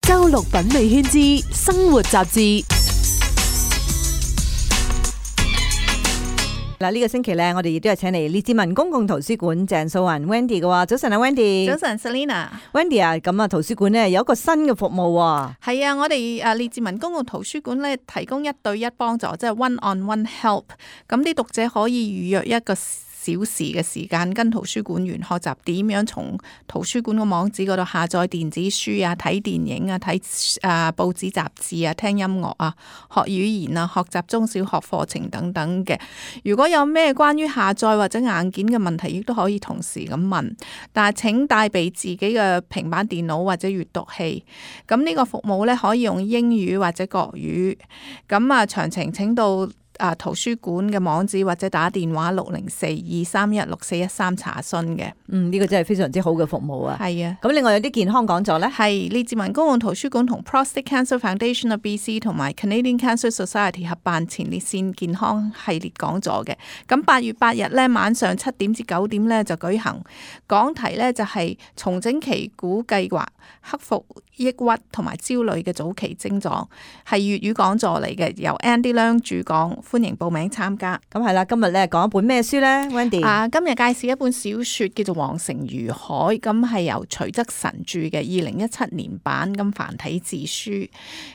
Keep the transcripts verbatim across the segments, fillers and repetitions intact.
周六品味圈之生活雜誌。嗱，呢個星期咧，我哋亦都係請嚟列治文公共圖書館鄭素雲 Wendy 嘅話，早晨啊 Wendy。早晨 Selina。Wendy 啊，咁啊，圖書館咧有一個新嘅服務喎。係啊，我哋誒列治文公共圖書館咧提供一對一幫助，即係 one on one help。咁啲讀者可以預約一個小時嘅時間，跟圖書館員學習點樣從圖書館個網址嗰度下載電子書啊、睇電影啊、睇誒報紙雜誌啊、聽音樂啊、學語言啊、學習中小學課程等等嘅。如果有咩關於下載或者硬件嘅問題，亦都可以同時咁問。但係請帶備自己嘅平板電腦或者閱讀器。咁呢個服務咧可以用英語或者國語。咁啊，詳情請到啊！圖書館嘅網址或者打電話六零四二三一六四一三查詢嘅。嗯，呢、這個真係非常之好嘅服務啊！係啊，咁另外有啲健康講座咧，係列治文公共圖書館同 Prostate Cancer Foundation of B C 同埋 Canadian Cancer Society 合辦前列腺健康系列講座嘅。咁八月八日咧晚上七點至九點咧就舉行，講題咧就係重整旗鼓計劃，克服抑鬱同埋焦慮嘅早期症狀，係粵語講座嚟嘅，由 Andy Leung 主講。歡迎報名參加。咁係啦，今日咧講一本咩書咧 Wendy？ 啊，今日介紹一本小說叫做《黃成如海》，咁係由徐則臣著嘅，二零一七年版，咁繁體字書。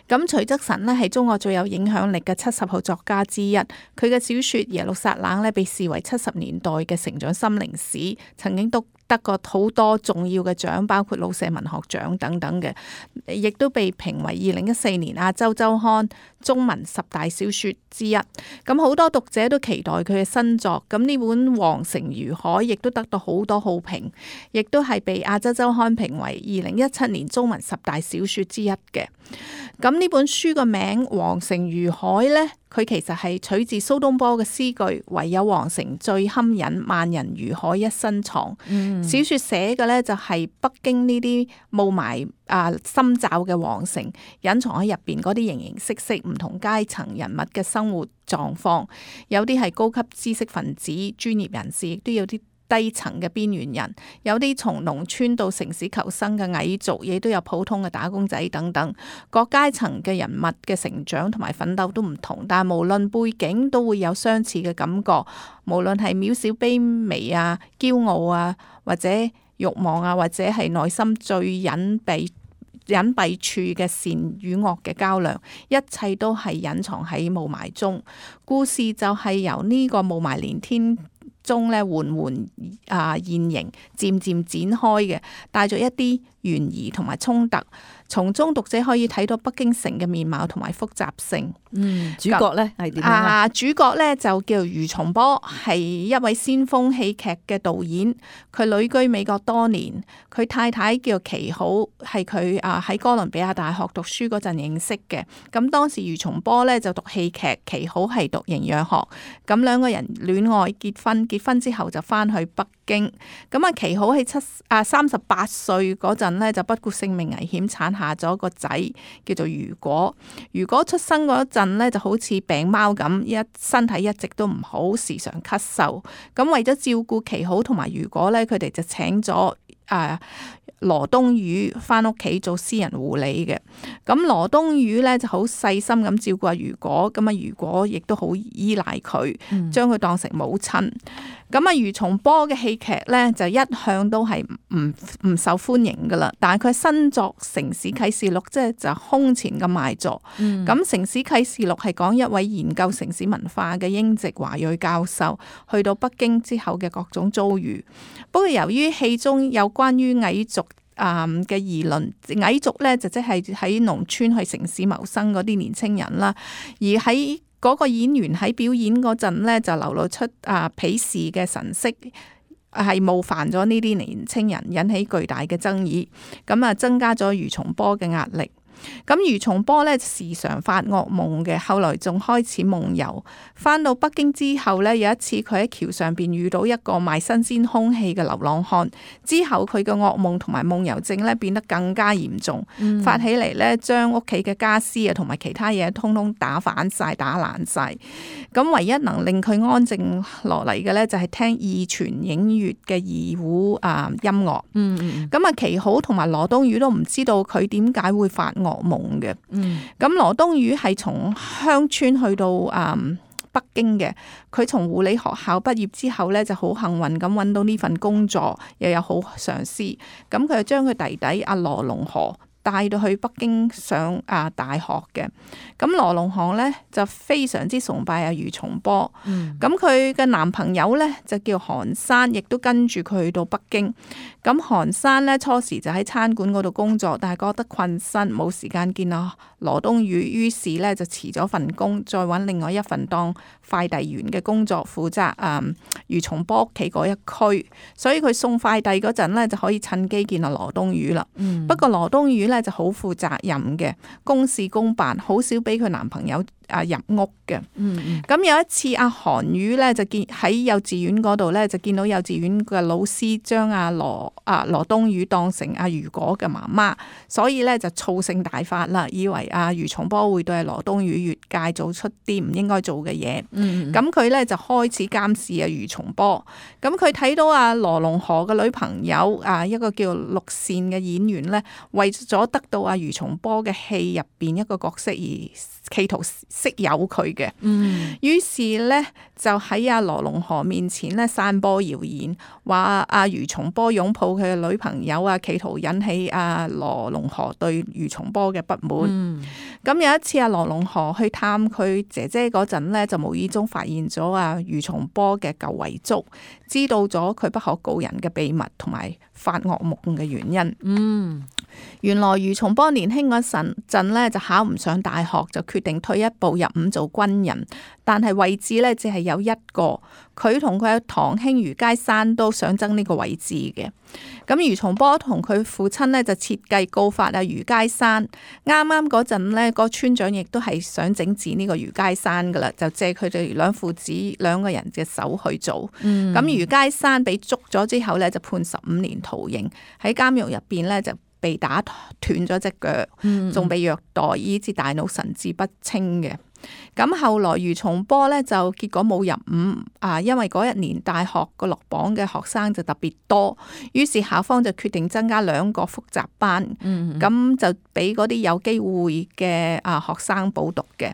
咁徐則臣呢係中國最有影響力嘅七十號作家之一，佢嘅小說《耶路撒冷》呢被視為七十年代嘅成長心靈史，曾經都得過好多重要嘅獎，包括老舍文學獎等等嘅，亦都被評為二零一四年亞洲週刊中文十大小說之一。咁好多讀者都期待佢嘅新作。咁呢本《黃成如海》亦都得到好多好評，亦都係被亞洲週刊評為二零一七年中文十大小說之一嘅。咁呢本書個名《黃成如海》呢，佢其實係取自蘇東坡嘅詩句：唯有黃成最堪忍，萬人如海一身藏。嗯、小說寫嘅呢，就係北京呢啲霧霾啊深罩嘅皇城，隱藏喺入邊嗰啲形形色色唔同階層人物嘅生活狀況，有啲係高級知識分子、專業人士，亦都有啲低層嘅邊緣人，有啲從農村到城市求生嘅蟻族，亦都有普通嘅打工仔等等。各階層嘅人物嘅成長同埋奮鬥都唔同，但係無論背景都會有相似嘅感覺。無論係渺小卑微啊、驕傲啊，或者慾望啊，或者係內心最隱蔽隱蔽處嘅善與惡嘅較量，一切都係隱藏喺霧霾中。故事就係由呢個霧霾連天中咧緩緩啊現形，漸漸展開嘅，帶咗一啲懸疑同埋衝突。從中讀者可以睇到北京城嘅面貌同埋複雜性。嗯，主角咧係點樣啊？主角咧就叫余松波，係一位先鋒戲劇嘅導演。佢旅居美國多年，佢太太叫祁好，係佢啊喺哥倫比亞大學讀書嗰陣認識嘅。咁當時余松波咧就讀戲劇，祁好係讀營養學。咁兩個人戀愛結婚，結婚之後就翻去北京。咁啊，祁好喺七啊三十八歲嗰陣咧就不顧性命危險產下咗個仔叫做如果。如果出生嗰陣咧就好似病貓咁，一身體一直都唔好，時常咳嗽。咁為咗照顧祁好同埋如果咧，佢哋就請咗啊羅東宇翻屋企做私人護理嘅。咁羅東宇咧就好細心咁照顧阿如果，咁啊如果亦都好依賴佢，將佢當成母親。咁啊，余松波嘅戲劇咧就一向都係唔唔受歡迎噶啦，但係佢新作《城市啟示錄》即係就空前咁賣座。咁、嗯《城市啟示錄》係講一位研究城市文化嘅英籍華裔教授去到北京之後嘅各種遭遇。不過由於戲中有關於蟻族啊嘅議論，蟻族咧就即係喺農村去城市謀生嗰啲年青人啦，而喺嗰個演員喺表演嗰陣咧，就流露出啊鄙視嘅神色，係冒犯咗呢啲年青人，引起巨大嘅爭議，咁啊增加咗余松波嘅壓力。咁余松波咧時常發噩夢嘅，後來仲開始夢遊。翻到北京之後咧，有一次佢喺橋上邊遇到一個賣新鮮空氣嘅流浪漢，之後佢嘅噩夢同埋夢遊症咧變得更加嚴重，嗯、發起嚟咧將屋企嘅家私啊同埋其他嘢通通打反晒、打爛晒。咁唯一能令佢安靜落嚟嘅咧就係聽二泉映月嘅二胡啊音樂。嗯嗯。咁啊祁好同埋羅東宇都唔知道佢點解會發噩噩夢嘅。嗯，咁羅東宇係從鄉村去到嗯北京嘅，佢從護理學校畢業之後咧，就好幸運咁揾到呢份工作，又有好上司，咁佢就將佢弟弟阿羅龍河帶到去北京上啊大學嘅。咁羅龍河咧就非常之崇拜阿余松坡，咁佢嘅男朋友咧就叫韓山，亦都跟住佢去到北京。咁韓山咧初時就喺餐館嗰度工作，但係覺得困身，冇時間見啊羅東宇，於是咧就辭咗份工，再揾另外一份當快遞員嘅工作，負責啊余松坡屋企嗰一區，所以佢送快遞嗰陣咧就可以趁機見阿羅東宇啦。嗯、不過羅東宇咧就好負責任嘅，公事公辦，好少俾佢男朋友啊入屋嘅。咁、嗯嗯、有一次阿韓宇咧就見喺幼稚園嗰度咧就見到幼稚園嘅老師將阿羅啊羅東宇當成阿余果嘅媽媽，所以咧就醋性大發啦，以為阿余松坡會對阿羅東宇越界做出啲唔應該做嘅嘢。咁佢咧就開始監視阿余松坡。咁佢睇到阿羅龍河嘅女朋友啊一個叫陸善嘅演員咧，為咗得到阿余松坡嘅戲入邊一個角色而企圖識有佢嘅，嗯，於是咧就喺阿羅龍河面前咧散播謠言，話阿余松坡擁抱佢嘅女朋友啊，企圖引起阿羅龍河對余松坡嘅不滿。咁、嗯、有一次阿羅龍河去探佢姐姐嗰陣咧，就無意中發現咗阿余松坡嘅舊遺囑，知道咗佢不可告人嘅秘密同埋發噩夢嘅原因。嗯。原來余松坡年輕嗰陣咧就考唔上大學，就決定退一步入伍做軍人，但係位置咧只係有一個，佢同佢嘅堂兄余佳山都想爭呢個位置嘅。咁余松坡同佢父親咧就設計告發阿余佳山，啱啱嗰陣咧個村長亦都係想整治呢個余佳山噶啦，就借佢哋兩父子兩個人嘅手去做。咁、嗯、余佳山被捉咗之後咧就判十五年徒刑，喺監獄入邊咧就被打斷咗隻腳，仲被虐待，以致大腦神志不清嘅。咁後來余松坡咧就結果冇入伍啊，因為嗰一年大學個落榜嘅學生就特別多，於是校方就決定增加兩個複習班，咁、嗯、就俾嗰啲有機會嘅啊學生補讀嘅。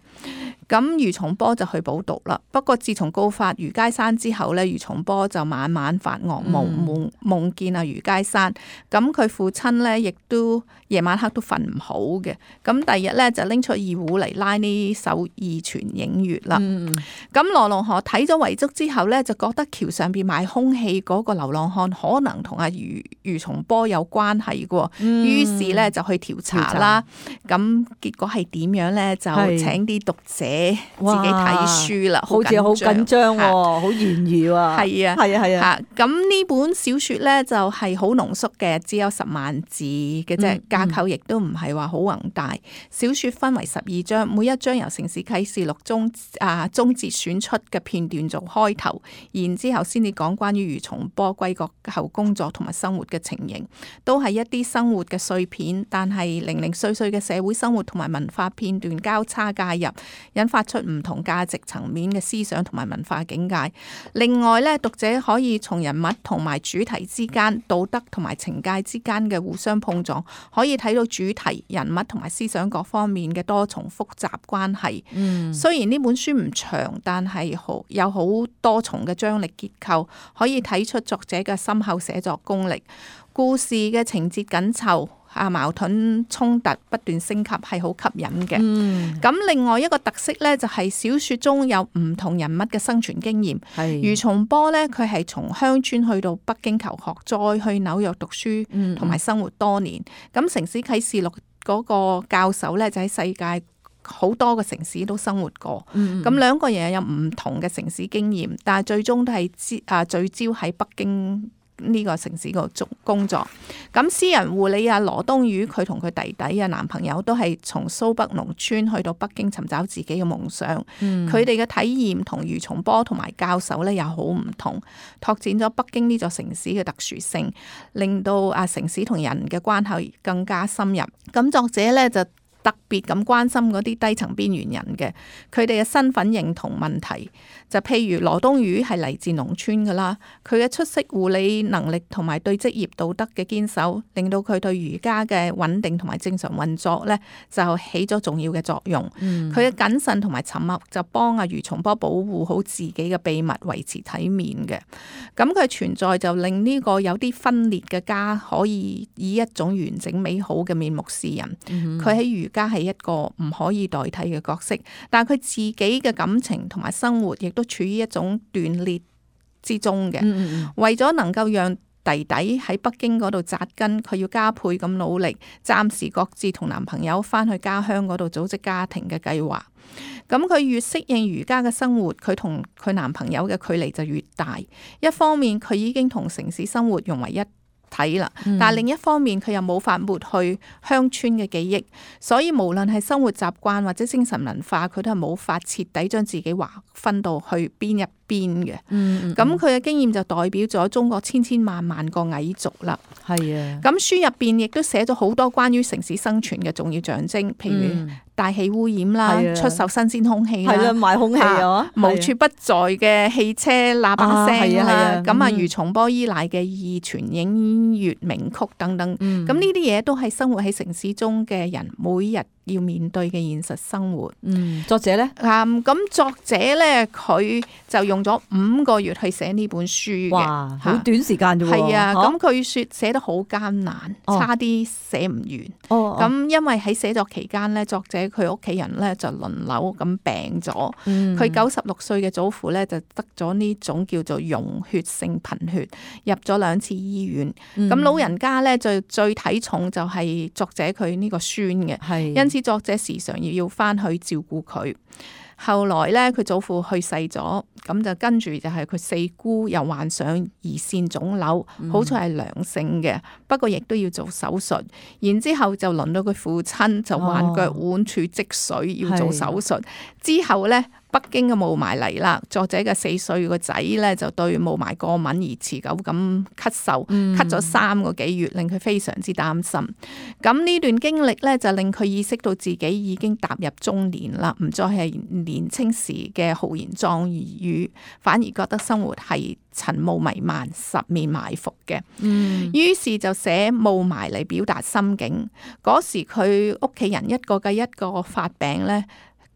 咁余松坡就去補讀啦。不過自從告發余佳山之後咧，余松坡就晚晚發噩夢，夢夢見啊余佳山。咁佢父親咧亦都夜晚黑都瞓唔好嘅。咁第二日咧就拎出二胡嚟拉呢首二泉映月啦。咁羅龍河睇咗遺囑之後咧，就覺得橋上邊賣空氣嗰個流浪漢可能同阿余余松坡有關係嘅，嗯、於是咧就去調查啦。咁結果係點樣咧？就請啲讀者自己睇書啦，好似好緊張，好懸疑啊！係啊，係啊，係啊！咁呢本小說咧就係好濃縮嘅，只有十萬字嘅啫，嗯、架構亦都唔係話好宏大。小說分為十二章，每一章由城市啟示錄中啊中節選出嘅片段做開頭，然之後先至講關於余松坡歸國後工作同埋生活嘅情形，都係一啲生活嘅碎片，但係零零碎碎嘅社會生活同埋文化片段交叉介入，引發出唔同價值層面嘅思想同埋文化境界。另外咧，讀者可以從人物同埋主題之間、道德同埋情界之間嘅互相碰撞，可以睇到主題、人物同埋思想各方面嘅多重複雜關係。嗯，雖然呢本書唔長，但係好有好多重嘅張力結構，可以睇出作者嘅深厚寫作功力。故事嘅情節緊湊。啊，矛盾衝突不斷升級，係好吸引嘅。咁、嗯、另外一個特色咧，就係小說中有唔同人物嘅生存經驗。余松坡咧，佢係從鄉村去到北京求學，再去紐約讀書，同埋生活多年。咁、嗯、城市啟示錄嗰個教授咧，就喺世界好多個城市都生活過。咁、嗯、兩個人有唔同嘅城市經驗，但係最終都係聚啊聚焦喺北京呢個城市個工作。咁私人護理啊羅東宇，佢同佢弟弟啊男朋友都係從蘇北農村去到北京尋找自己嘅夢想。佢哋嘅體驗同余松坡同埋教授咧又好唔同，拓展咗北京呢座城市嘅特殊性，令到啊城市同人嘅關係更加深入。咁作者咧就特別咁關心嗰啲低層邊緣人嘅，佢哋嘅身份認同問題。就譬如羅東魚係嚟自農村噶啦，佢嘅出色護理能力同埋對職業道德嘅堅守，令到佢對瑜伽嘅穩定同埋正常運作咧，就起咗重要嘅作用。佢嘅謹慎同埋沉默就幫阿余松波保護好自己嘅秘密，維持體面嘅。咁佢存在就令呢個有啲分裂嘅家可以以一種完整美好嘅面目示人。佢喺瑜伽係一個唔可以代替嘅角色，但係佢自己嘅感情同埋生活亦都處於一種斷裂之中嘅。嗯嗯，為咗能夠讓弟弟喺北京嗰度扎根，佢要加倍咁努力，暫時各自同男朋友翻去家鄉嗰度組織家庭嘅計劃。咁佢越適應瑜伽嘅生活，佢同佢男朋友嘅距離就越大。一方面佢已經同城市生活融為一體啦，但係另一方面佢又冇法抹去鄉村嘅記憶，所以無論係生活習慣或者精神文化，佢都係冇法徹底將自己劃分到去邊一邊嘅。咁佢嘅經驗就代表咗中國千千萬萬個蟻族啦。係啊，咁書入邊亦都寫咗好多關於城市生存嘅重要象徵，譬如大氣污染啦，出售新鮮空氣啦，係啦，賣空氣啊，無處不在嘅汽車喇叭聲啦，咁啊，余松波依賴嘅二泉映月名曲等等，咁呢啲嘢都係生活喺城市中嘅人每日要面對嘅現實生活。嗯，作者咧，咁、嗯、作者咧，佢就用咗五個月去寫呢本書嘅，哇，好短時間啫喎。係啊，咁佢說寫得好艱難，哦、差啲寫唔完。哦，咁因為喺寫作期間咧，作者佢屋企人咧就輪流咁病咗。佢九十六歲嘅祖父咧就得咗呢種叫做溶血性貧血，入咗兩次醫院。咁、嗯、老人家咧就最睇重就係作者佢呢個孫嘅，係因此作者時常要要翻去照顧佢。後來咧，佢祖父去世咗，咁就跟住就係佢四姑又患上胰腺腫瘤，嗯、好彩係良性嘅，不過亦都要做手術。然之後就輪到佢父親就患腳腕處積水，要做手術。之後咧，北京嘅霧霾嚟啦，作者嘅四歲個仔咧就對霧霾過敏而持久咁咳嗽，咳咗三個幾月，令佢非常之擔心。咁呢段經歷咧就令佢意識到自己已經踏入中年啦，唔再係年青時嘅豪言壯語，反而覺得生活係塵霧彌漫、十面埋伏嘅。嗯，於是就寫霧霾嚟表達心境。嗰時佢屋企人一個繼一個發病咧。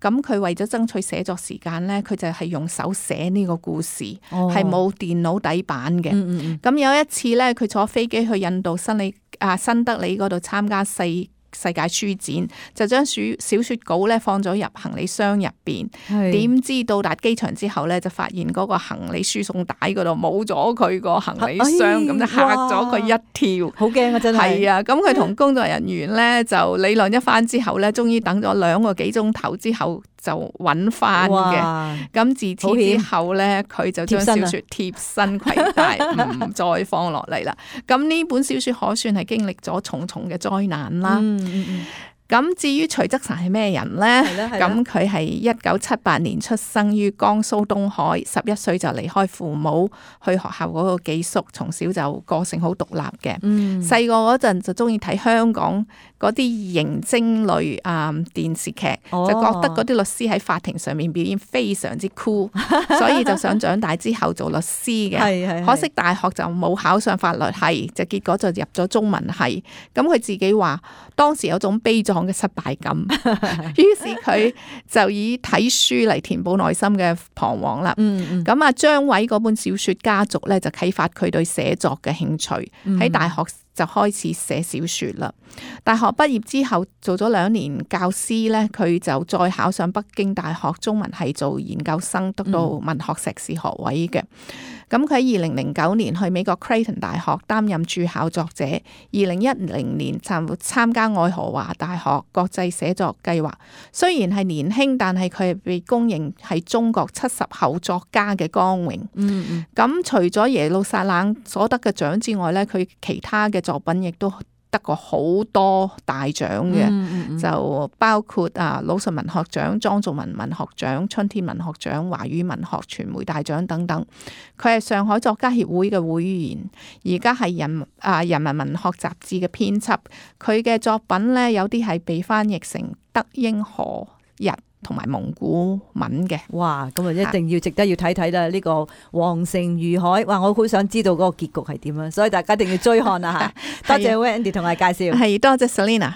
咁佢為咗爭取寫作時間咧，佢就係用手寫呢個故事，係冇、哦、電腦底板嘅。咁、嗯嗯、有一次咧，佢坐飛機去印度新里啊新德里嗰度參加世世界書展，就將小小說稿咧放咗入行李箱入邊。點知到達機場之後咧，就發現嗰個行李輸送帶嗰度冇咗佢個行李箱，咁、哎、就嚇咗佢一跳。好驚啊！真係。係啊，咁佢同工作人員咧就理論一番之後咧，終於等咗兩個幾鐘頭之後就揾翻嘅。咁自此之後咧，佢就將小說貼身攜帶，唔再放落嚟啦。咁呢本小說可算係經歷咗重重嘅災難啦。嗯嗯嗯，咁至於徐則臣係咩人呢？咁佢係一九七八年出生於江蘇東海，十一歲就離開父母去學校嗰個寄宿，從小就個性好獨立嘅。細個嗰陣就中意睇香港嗰啲刑偵類啊、嗯、電視劇，就覺得嗰啲律師喺法庭上面表現非常之酷，所以就想長大之後做律師嘅。是是是，可惜大學就冇考上法律系，就結果就入咗中文系。咁佢自己話當時有種悲壯嘅失敗感，於是佢就以睇書嚟填補內心嘅彷徨啦。咁啊張偉嗰本小說家族咧就啟發佢對寫作嘅興趣，喺大學就開始寫小說啦。大學畢業之後做咗兩年教師咧，佢就再考上北京大學中文系做研究生，得到文學碩士學位嘅。咁佢喺二零零九年去美國 Creighton 大學擔任駐校作者，二零一零年參參加愛荷華大學國際寫作計劃。雖然係年輕，但係佢係被公認係中國七十後作家嘅光榮。嗯嗯。咁除咗耶路撒冷所得嘅獎之外咧，佢其他嘅作品亦都得過好多大獎嘅，嗯嗯嗯就包括啊魯迅文學獎、莊仲文文學獎、春天文學獎、華語文學傳媒大獎等等。佢係上海作家協會嘅會員，而家係人啊人民文學雜誌嘅編輯。佢嘅作品呢，有啲係被翻譯成德英荷日同埋蒙古文嘅。哇！咁啊，一定要值得要睇睇啦！呢、這個黃成如海，哇！我好想知道嗰個結局係點啊，所以大家一定要追看啊嚇！多謝 Wendy 同我哋介紹，係多謝 Selina。